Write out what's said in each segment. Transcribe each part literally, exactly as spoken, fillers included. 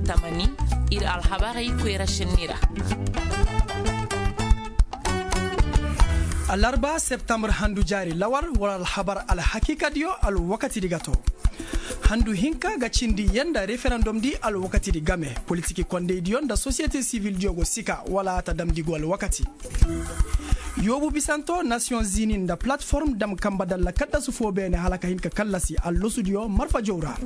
Tamani, ir alhabarey koyra senni ra. Alarba septambur handu jaari lawar war alhabar alhakiikadiyo alwakatidi ga to. Handu hinka ga cindi yee nda referandumdi alwakatidi game, politiki kondeydiyo nda sosiyete sivildiyo go sika wala a ta damndi go alwakati. Yoobu bisanto nasiyoŋ zini nda palatform dam kamba dalla kaddasu foo beene hala ka hin ka kallasi allosudiyo marfajow ra.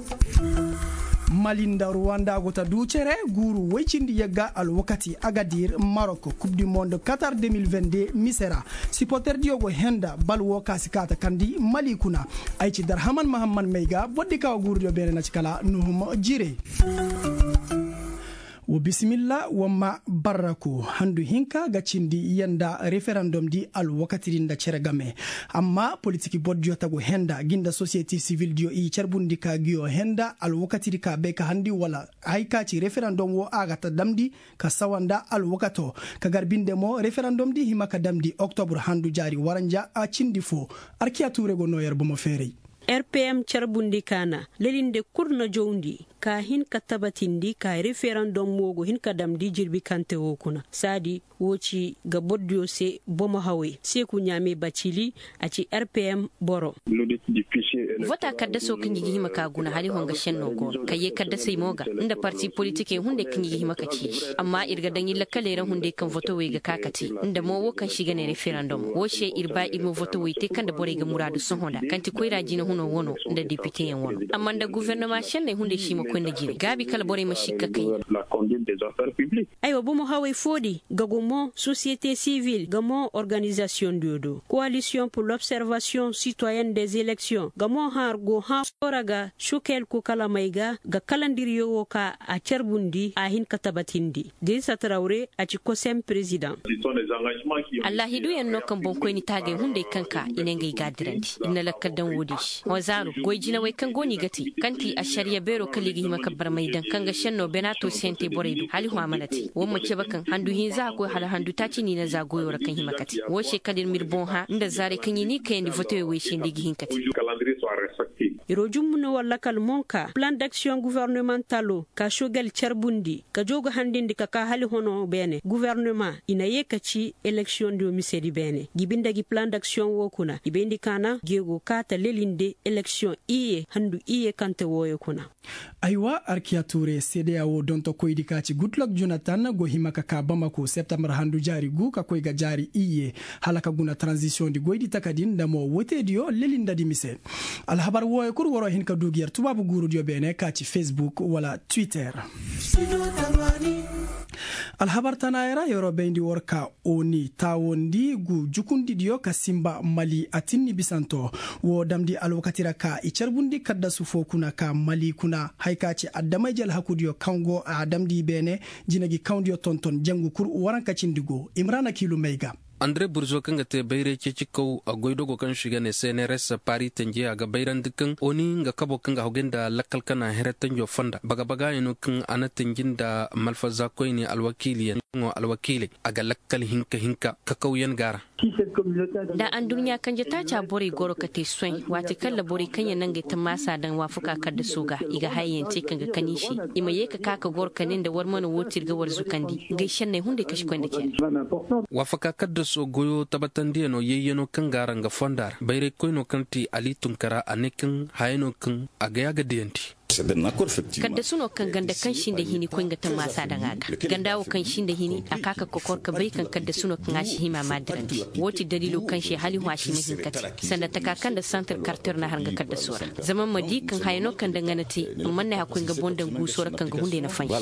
Mali nda ruwanda go ta duu cere guuru woy cindi yagga alwakati agadir marok kub du mond katar de mil vende mise ra. Siporterdiyo go henda bal woo ka si kaa ta kandi mali kuna. Ay ci darhaman mahamman may ga bordi ka wa guurudiyo beene na ci kala nuhum jire. Wa bisimilla wa ma barraku handu hinka ga cindi yee nda referandumdi alwakatidi nda cere game. Amma politiki bordiyo tagu henda gi nda sosiyete sivildiyo i carbundi ka ngiyo henda alwakatidi ka bay ka handi wala hay ka ci referandum woo a ga ta damndi ka sawa nda alwakato. Ka gar binde mo referandumdi hima ka damndi oktobur handu jaari waranja a cindi foo. Arkiya tuure go noo yer bomo feeray. Rpm carbundi kaana lelinde kul na jowndi ka hin ka tabatindi ka referandum woo go hin ka damndi jirbi kaŋ te woo kuna saadi woo ci ga bordiyo se bomo hawey seeku ɲaame bacili. A ci rpm boro. Vota kaddasoo kaŋ i ga hima ka guna hala i honga senno go ka yee kaddasey mo ga nda parti politikey hunday kaŋ i ga hima ka ci i se amma ir ga daŋ i lakkaley ra hunday kaŋ votowey ga ka ka te nda mo woo kaŋ se i ga ne referandum woo se ir ba ir ma votowey te kaŋ nda borey ga muraadu sohõ nda kaŋ ti koyra jinahunoo wano nda depiteyaŋ wano. Amma nda gofornoma senney hunday se i ma koy nda jine gaabi kala borey ma sikka kay. Aywa bomo hawey foodi ga go mo sosiyete sivil ga mo organizasiyoŋ diyo do koalisiyoŋ pur lobservasiyoŋ sitoyen des elektiyoŋ ga mo hãr go hãr soora ga sukel kukalamey ga ga kalandiriyo wo ka a carbundi a hin ka tabatindi. Dirisa tarawre a ci kosem perezidaŋ. Allaahiduyaŋ no kaŋ boŋkoyni taagay hunday kaŋ ka i ne ngey ga a dirandi ir na lakkal daŋ woodi se hõ zaaru goy jinawey kaŋ go no i ga te kaŋ ti ašariya beeroo kala i ga hima ka barmay daŋ kaŋ ga šennoo benaato sihantey borey do hala i hõ a mana te war ma cabe kaŋ handu hinza a koy hala handu taaci no i na za goyoo ra kaŋ hima ka te woo se kala ir ma ir boŋ hã nda zaarey kaŋ i n'i kayandi votewey wey se nda i ga hin ka te. Iroo jumbu no war lakal monka plan daksiyoŋ gofornemantaloo ka sogel carbundi ka joo ga handindi ka ka hala honoo beene guvernema i na yee ka ci eleksiyoŋ diyo misedi beene jibi nda gi plan daksiyoŋ woo kuna i bayndi ka na geegoo kaa ta lelinde eleksiyoŋ iyye handu iyye kaŋ te wooyo kuna. Aywa arkiya tuure seedeya woo dontokoydi ka ci gudlok jonatan go hima ka kaa bamako septambar handu jaari guu ka koy ga jaari iyye hala ka guna taranzisiyoŋdi goydi takadi nda mo woteediyo lelindadi mise. Alhabar wooyo kul waroo hin ka duu gi yer tubaabu guurudiyo beene ka ci fesbuk wala twitter. Alhabar tanaaya ra yeroo bayndi war ka oni taawondi gu jukundidiyo ka sinba mali atinni bisanto. Woo damndi alwakati ra ka i carbundi kaddasu foo kuna ka mali kuna haya ka ci adamay jelhakudiyo kaŋ go a damndi i beene. Jina gi kawndiyo tonton jangu kul waranka cindi go imrana kiilu may ga. Andre burzo kaŋ ga te bayray ceecikaw a goy dogo kaŋ se i ga ne cnrs pari tenje a ga bayrandi kaŋ oni nga kabo kaŋ ga haguy nda lakkal kana heratanjo fonda baga baga yaŋ no kaŋ a na tenji nda malfaza koyne alwakiiliyaŋ. Alwakiiley a ga lakkal hinka hinka kakawyaŋ ga a ra. Nda anduɲɲa kanje taaca borey goro ka te soy waati kaŋ ra borey kaŋ yaŋ na ngey tammaasa daŋ waafaka kaddaso ga i ga hayayaŋ te kaŋ ga kan i se. I ma ye ka ka ka goro ka ne nda war mana woo te ir ga war zukandi ngey senney hunday ka si koy nda cere. Waafaka kaddaso goyo tabatandiyaŋo yayyaŋo kaŋ ga a ra nga fonda ra bayray koyno kaŋ ti ali tunkara a ne kaŋ hayano kaŋ a ga ya ga diyandi. Kaddasu no kaŋ ganda kaŋ sinda hini koy nga tammaasa daŋ a ga ganda wo kaŋ sinda hini a ka ka kokor ka bay kaŋ kaddasu no kaŋ a si hima ma dirandi. Woo ti daliilo kaŋ se hala i hõ a si ma hin ka te sanda taka kaŋ nda santir karter na har nga kaddaso ra. Zama ma di kaŋ haya no kaŋ nda nga na te. Amma ne hakkoy nga boŋ daŋ guuso ra kaŋ ga hunday na fansi.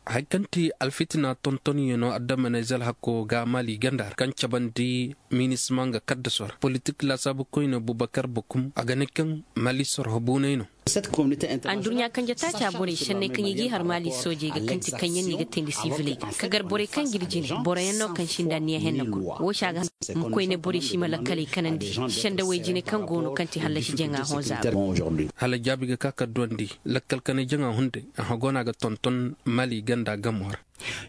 Haya kaŋ ti alfitina tontonyaŋo adama na izal hakko ga maali ganda ra kaŋ cabandi minisma nga kaddaso ra politik laasaabu koyne bubakar bakum a ga ne kaŋ maali sorho buunay no. Anduɲɲa kanje taaca borey senney kaŋ i g'i har maali soojey ga kaŋ ti kaŋ yaŋ no i ga teendi siviley ga ka gar borey kaŋ g'ir jine boroyaŋ no kaŋ sinda anniya henna kul. Woo se a ga hanse ma koyne borey si ma lakkaley kanandi sendawey jine kaŋ go no kaŋ ti hallasi jaŋa hõ zaaro. Hala jaabi ga ka ka duwandi lakkal kanay jaŋa hunday a hagona ga tonton maali ganda gamo ra.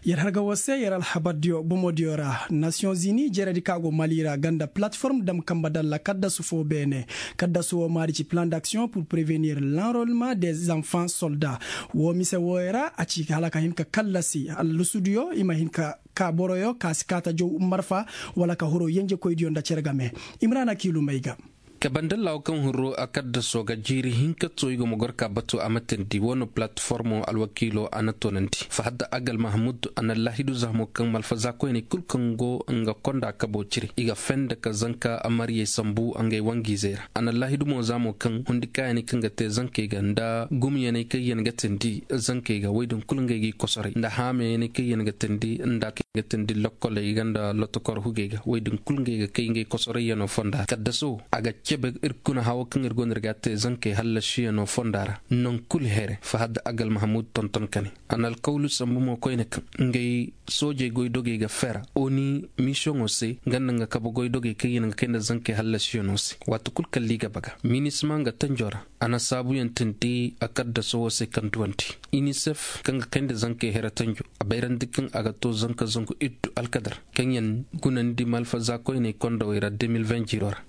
Yer harga woo se yer alhabardiyo bomodiyo ra nasiyoŋ zini jeredi ka go mali ra ganda palateform dam kamba dalla kaddasu foo beene. Kaddasu woo maadi ci plan d'action pur prevenir l'enrollement des enfants solda. Woo mise wooyo ra a ci hala ka hin ka kallasi allusudiyo i ma hin ka ka boroyo ka si kaata jow marfa wala ka horo yenjekoydiyo nda cere game. Imrana kiilu may ga. Kabandallaawo kaŋ huru a kaddasoo ga jiiri hinka too i go ma gor ka batu a ma teendi woo no palateformo alwakiilo a na toonandi fahad agal mahamud a na laahidu za mo kaŋ malfaza koyney kul kaŋ go nga konda kaboo cire i ga fenda ka zanka amariyey sambu ngey wangiizey ra. A na laahidu mo za mo kaŋ hundi kaayaney kaŋ ga te zankey ga nda gumyaney kaŋ yaŋ ga teendi zankey ga woy din kul ngey g'i kosoray nda haamayaney kaŋ yaŋ ga teendi nda kaŋ yaŋ ga teendi lokkoley ga nda lotokor hugey ga woy din kul ngey ga kay ngey kosorayyanoo fonda ra kaddaso a ga cebe ir kuna hawo kaŋ ir go no ir ga a te zankey hallasiyanoo fonda ra. Naŋ kul here fahad agal mahamud tonton kane a na alkawlu sambu mo koyne kaŋ ngey soojey goydogey ga fera oni misiyoŋo se nga nda nga kabe goydogey kaŋ yaŋ ga kay nda zankey hallasiyanoo se waati kul kaŋ liiga baga minisma nga tanjo ra. A na saabuyaŋ teendi a kaddasoo se kaŋ duwandi inisef kaŋ ga kay nda zankey here tanjo a bayrandi kaŋ a ga too zanka zangu iddu alkadar kaŋ yaŋ gunandi malfaza koyney kondawey ra deux mille vingt jiiroo ra.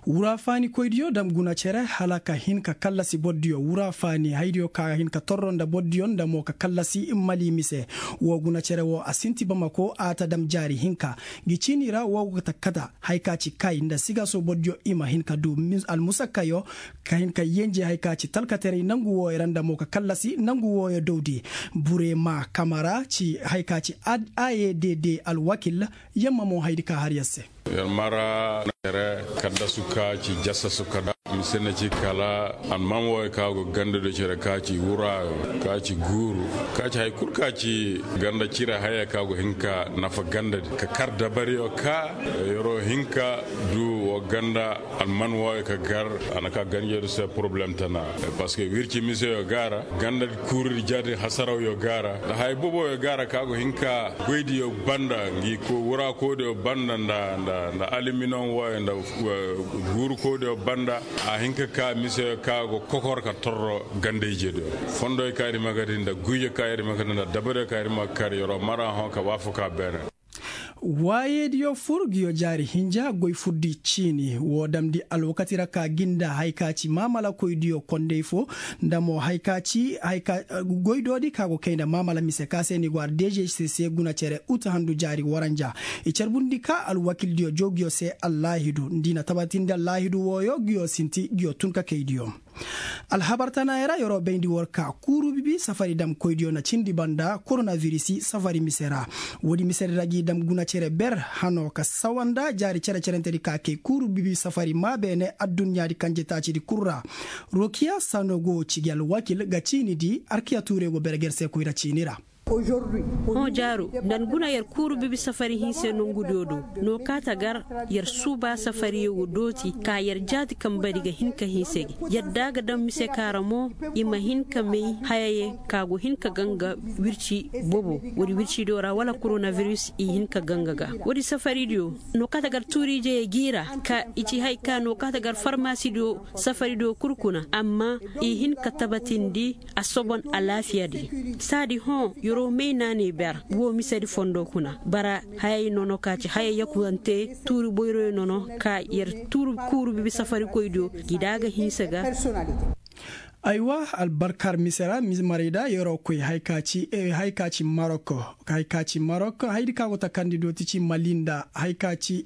Wura faani koydiyo dam guna cere hala ka hin ka kallasi bordiyo wura faani haydiyo ka hin ka torro nda bordiyo nda mo ka kallasi mali mise. Woo guna cere woo a sinti bamako a ta dam jaari hinka. Ngi ciini ra woo go ta kata hay ka ci kay nda sigaso bordiyo i ma hin ka du almusakkayo ka hin ka yenje hay ka ci talkateray nangu wooyo ra nda mo ka kallasi nangu wooyo dowdi. Burema kamara ci hay ka ci a ye dede alwakil. Yamma mo haydi ka har yer se. Yer mara cere kaddasu ka ci jasasu kada mise na ci kala alman wooyo ka go ganda do cere ka ci wuraayo ka ci guuru ka ci hay kul ka ci ganda cire haya ka go hin ka nafa ganda di ka kar dabariyo ka yeroo hin ka du woo ganda alman wooyo ka gar. A na ka ganjeedu se poroblem tana parceque wirci miseyo ga a ra ganda kuurudi jaadi hasarawyo ga a ra nda haya boboyo ga a ra ka go hin ka goydiyo banda ngi wura koodiyo banda nda aliminon wooyo nda guuru koodiyo banda. A hin ka ka miseyo ka go kokor ka torro ganda ijediyo fondoyo ka ir ma ga di nda guyyo ka ir ma ga di nda dabariyo ka ir ma ga kar yeroo mara hõ ka waafakaa beene. Waayeediyo fur nguyo jaari hinja goy furdi ciini woo damndi alwakati ra ka gi nda hay ka ci maamalakoydiyo kondey foo nda mo hay ka ci goydoodi ka go kay nda maamala mise ka se ni go har dejey se se guna cere ut handu jaari waranja. I carbundi ka alwakildiyo joo nguyo se allaahidu nda i na tabatindi allaahidu wooyo nguyo sinti nguyo tun ka kaydiyo. Alhabar tanaayey ra yeroo bayndi war ka kuuru bibi safari damkoydiyo na cindi banda koronavirisi safari mise ra. Woodi misedi ra g'i dam guna cere ber hanoo ka sawa nda jaari cere-cerentedi ka kay kuuru bibi safari maa beene adduɲɲaadi kanje taacidi kul ra. Rokiya sano go cigi alwakil ga ciini di arkiya tuurey go berger se koyra ciini ra. Hõ jaaru nda ni guna yer kuuru bibi safari hinse nongudiyo do. No kaata gar yer suuba safariyo go dooti ka yer jaati kambadi ga hin ka hinse gi. Yadda ga daŋ mise ka ra mo i ma hin ka may hayayey ka go hin ka ganga wirci bobo woodi wircidiyo ra wala koronaviris i hin ka ganga ga. Woodi safaridiyo no kaata gar tuuriijeyey g'i ra ka i ci hay ka no kaata gar farmasidiyo safaridiyo kul kuna amma i hin ka tabatindi a sobon alaafiyadi. Saadi hõ yeroo may naanay ber woo misedi fondo kuna bara hayay nono ka ci hayay yakuwante tuuri boyroyo nono ka yer tuuri kuuru bibi safarikoydiyo gi da ga hinsa ga. Aywa albarkar mise ra mise marayda yeroo koy hay ka ci marok. Hay ka ci marok haydi ka go ta kandi dooti ci mali nda hay ka ci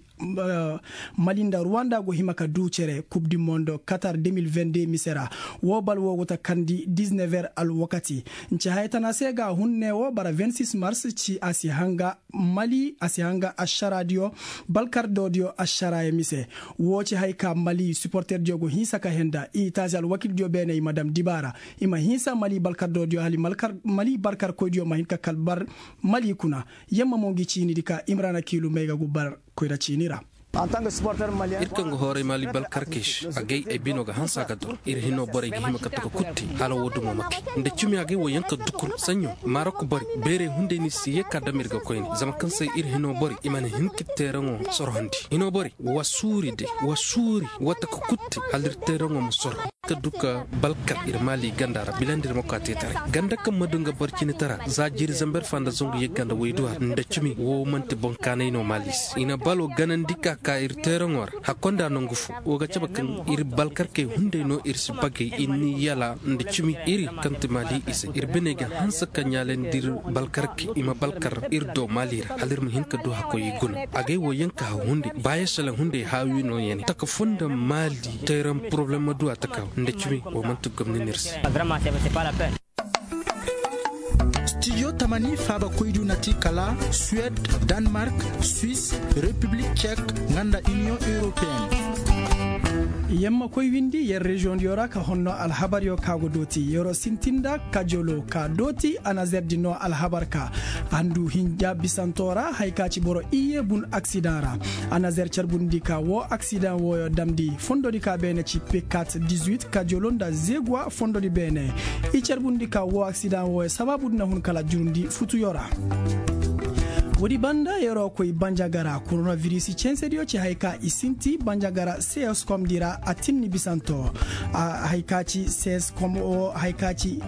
mali nda ruwanda go hima ka duu cere kub di mondo katar deux mille vingt deux mise ra. Woo bal woo go ta kandi dix-neuf heures alwakati. Nce haya tana se ga hun ne woo bara vingt-six mars ci a si hanga mali a si hanga ašaraadiyo balkardoodiyo ašaraayo mise. Woo ci hay ka mali siporterdiyo go hinsa ka henda i taazi alwakildiyo beene i ma dam dibaara i ma hinsa mali balkardoodiyo hali mali barkarkoydiyo ma hin ka kalbar mali kuna. Yamma mo ngi ciinidi ka imrana kiilu may ga gu bar koyra ciini ra. Ir kaŋ ga hooray maali balkarkey se, agay ay bino ga hanse a ga dor. Ir hinoo borey ga hima ka taka kutte hala woo dumo ma kay. Nda cimi agay woo yaŋ ka dukur saɲɲo, marok borey beerey hunday no i si yee ka dam ir ga koyne zama kaŋ se ir hinoo borey i mana hin ka teeraŋo sorhandi. Hinoo borey wa suuri day, wa suuri, wa taka kutte hala ir teeraŋo ma sorho. Ka duka balkar ir maali ganda ra bilandi ir ma koy a teetaray ganda kaŋ ma du nga boro cine tara za jiiri zamber fa nda zangu yagga nda wayduwa nda cimi woo man'ti boŋ kaanay no maali se i na balo ganandi ka ka ir teeraŋo ra. Hakkonda nangu fo woo ga cabe kaŋ ir balkarkey hunday no ir si bagay ir ni yala nda cimi iri kaŋ ti maali izey ir biney ga hanse ka ɲaalandi ir balkarkey i ma balkar ir do maali ra hala ir ma hin ka du hakkoy i guna. Agay woo yaŋ ka haw hunday baaya selaŋ hunday haawi no yane taka fo nda maali tayraŋ poroblem ma du a taka nda cimi woo man'ti gomni no ir se. Stijo tamani faaba koydu na ti kala suwed, danmark, swis, repiblik cek, nga nda iniyoŋ europeen. Yer ma koy windi yer reziyoŋdiyo ra ka honno alhabaryo ka go dooti yeroo sintin nda kajolo ka dooti anazerdi no alhabar ka. Handu hinja bisanto ra haya ka ci boro iyye bun aksidaŋ ra. Anazer carbundi ka woo aksidaŋ wooyo damndi fondodi ka beene ci pekat dizuit kajolo nda zeguwa fondodi beene. I carbundi ka woo aksidaŋ wooyo sabaabudi na hun kala jurundi futuyo ra. Woodi banda yer'o koy banjagara koronavirisi censediyo ci haya ka i sinti banjagara seyoskomdi ra a tinni bisanto. Haya ka ci seyoskom woo haya ka ci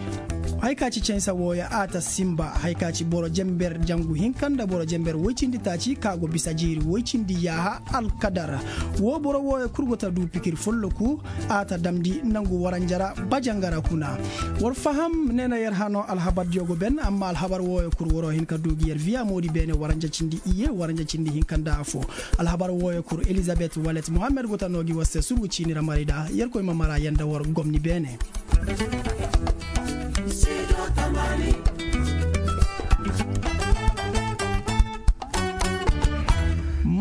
cansa wooyo a ta sinba haya ka ci boro jenber jangu hinka nda boro jenber woy cindi taaci ka go bisa jiiri woy cindi yaaha alkadar. Woo boro wooyo kul go ta du pikir folloku a ta damndi nangu waranja ra bajanga ra kuna. War faham ne na yer hano alhabardiyo go ben amma alhabar wooyo kul waroo hin ka du gi yer viya moodi beene waranja cindi iyye waranja cindi hinka nda afo. Alhabar wooyo kul elizabet walet muhammed go ta noo gi war se surgu ciini ra marayda yerkoy ma mara yer nda war gomni beene.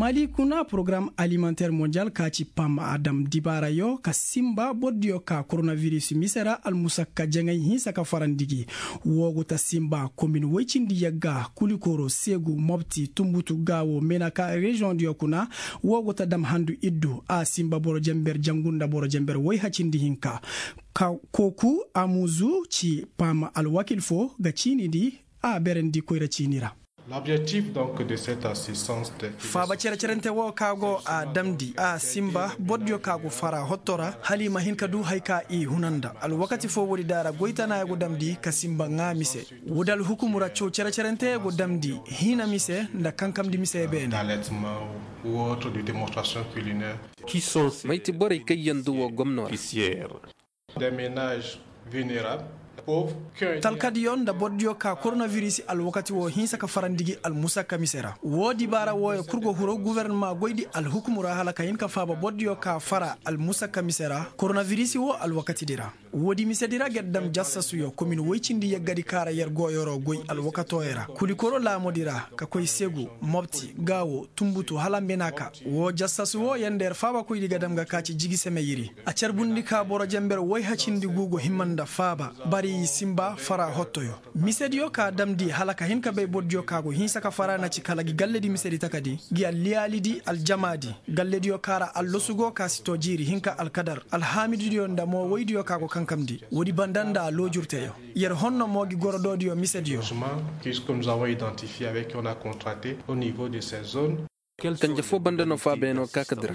Mali kuna porogaram alimanter monjal ka ci pam a dam dibaarayo ka sinba bordiyo ka koronaviris mise ra almusakka jaŋay hinsa ka farandi gi. Woo go ta sinba komin woy cindi yagga kulikoro seegu mobti tunbutu gaawo menaka reziyoŋdiyo kuna. Woo go ta dam handu iddu a sinba boro jenber jangu nda boro jenber woy hacindi hinka. Kooku amuzu ci paama alwakil foo ga ciini di a berandi koyra ciini ra. Faaba cere-cerente woo ka go a damndi a sinba bordiyo ka go fara hotto ra hala i ma hin ka du haya ka i huna nda alwakati foo woodi daara goy tana ya go damndi ka sinba ŋaa mise. Woodi alhukumu ra caw cere-cerente ya go damndi hiina mise nda kankamndi mise beene. May ti borey kaŋ yaŋ du woo gomno ra? Talkadiyo nda bordiyo ka koronavirisi alwakati woo hinsa ka farandi gi almusakka mise ra woo dibaara wooyo kul go huru gofornama goydi alhukumu ra hala ka hin ka faaba bordiyo ka fara almusakka mise ra koronavirisi woo alwakatidi ra. Woodi misedi ra ger dam jassasuyo komin woy cindi yeggadi kaara yer go yeroo goy alwakatooyo ra kulikoro laamodi ra ka koy segu mobti gaawo tunbutu hala mbenaaka. Woo jassasu woo yer nda yer faabakoydi ga dam ga kaaci jigi semeyiri. A carbundi ka boro jenber woy hacindi guu go hima nda faaba bari i sinba fara hottoyo. Misediyo ka damndi hala ka hin ka bay bordiyo ka go hinsa ka fara na ci kala gi galledi misedi takadi gi alliyaalidi aljamaadi. Gallediyo ka ra allosu go ka si too jiiri hinka alkadar alhaamididiyo nda mo woydiyo ka go kankamndi. Woodi banda nda loojurteyo yer honno mo gi gorodoodiyo misediyo. Kanje foo banda no faabeeno ka ka dira.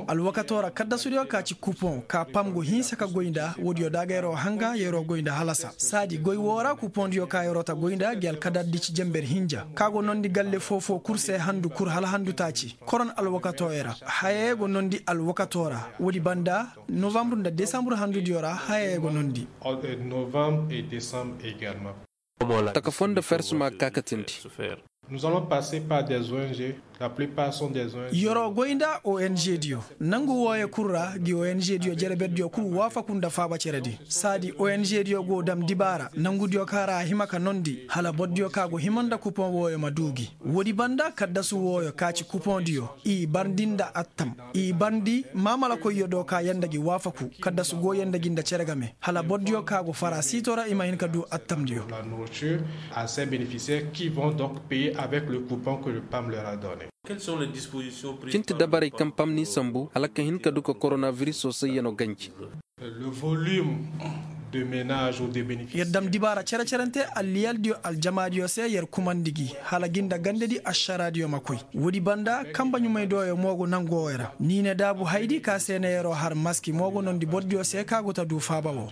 Alwakatoo ra kaddasudiyo ka ci kupoŋ ka pam go hinsa ka goy nda woodiyo da ga yeroo hanga yeroo goy nda halasa saadi goy woo ra kupoŋdiyo ka yeroo ta goy nda gi alkadardi ci jenber hinja ka go nondi galle foo-foo kul se handu kul hala handu taaci. Koron alwakatooyo ra hayayo go nondi alwakatoo ra. Woodi banda novambur nda desambur handudiyo ra hayayo go nondi. Taka foo nda fers ma ga ka katindi. Yer'o goy nda ong diyo nangu wooyo kul ra gi ong diyo jereberdiyo kul waafaku nda faaba ceredi. Saadi ong diyo go dam dibaara nangudiyo ka ra a hima ka nondi hala bordiyo ka go hima nda kupoŋ wooyo ma duu gi. Woodi banda kaddasu wooyo ka ci kupoŋdiyo i barndi nda attam, i barndi maamalakoyyo do ka yee nda gi waafaku kaddasu go yee nda gi nda cere game hala bordiyo ka go fara siito ra i ma hin ka duu attamdiyo. Cinti dabarey kaŋ pam n'i sambu hala ka hin ka du ka koronabiriso sayyano ganji. Yer dam dibaara cere-cerante alliyaldiyo aljamaadiyo se yer kumandi gi hala gi nda gandedi ašaraadiyo ma koy. Woodi banda kanba ɲumay dooyo mo go nangoo yer ra ni ne daabu haydi ka se na yeroo har maski mo go nondi bordiyo se ka go ta duu faaba woo.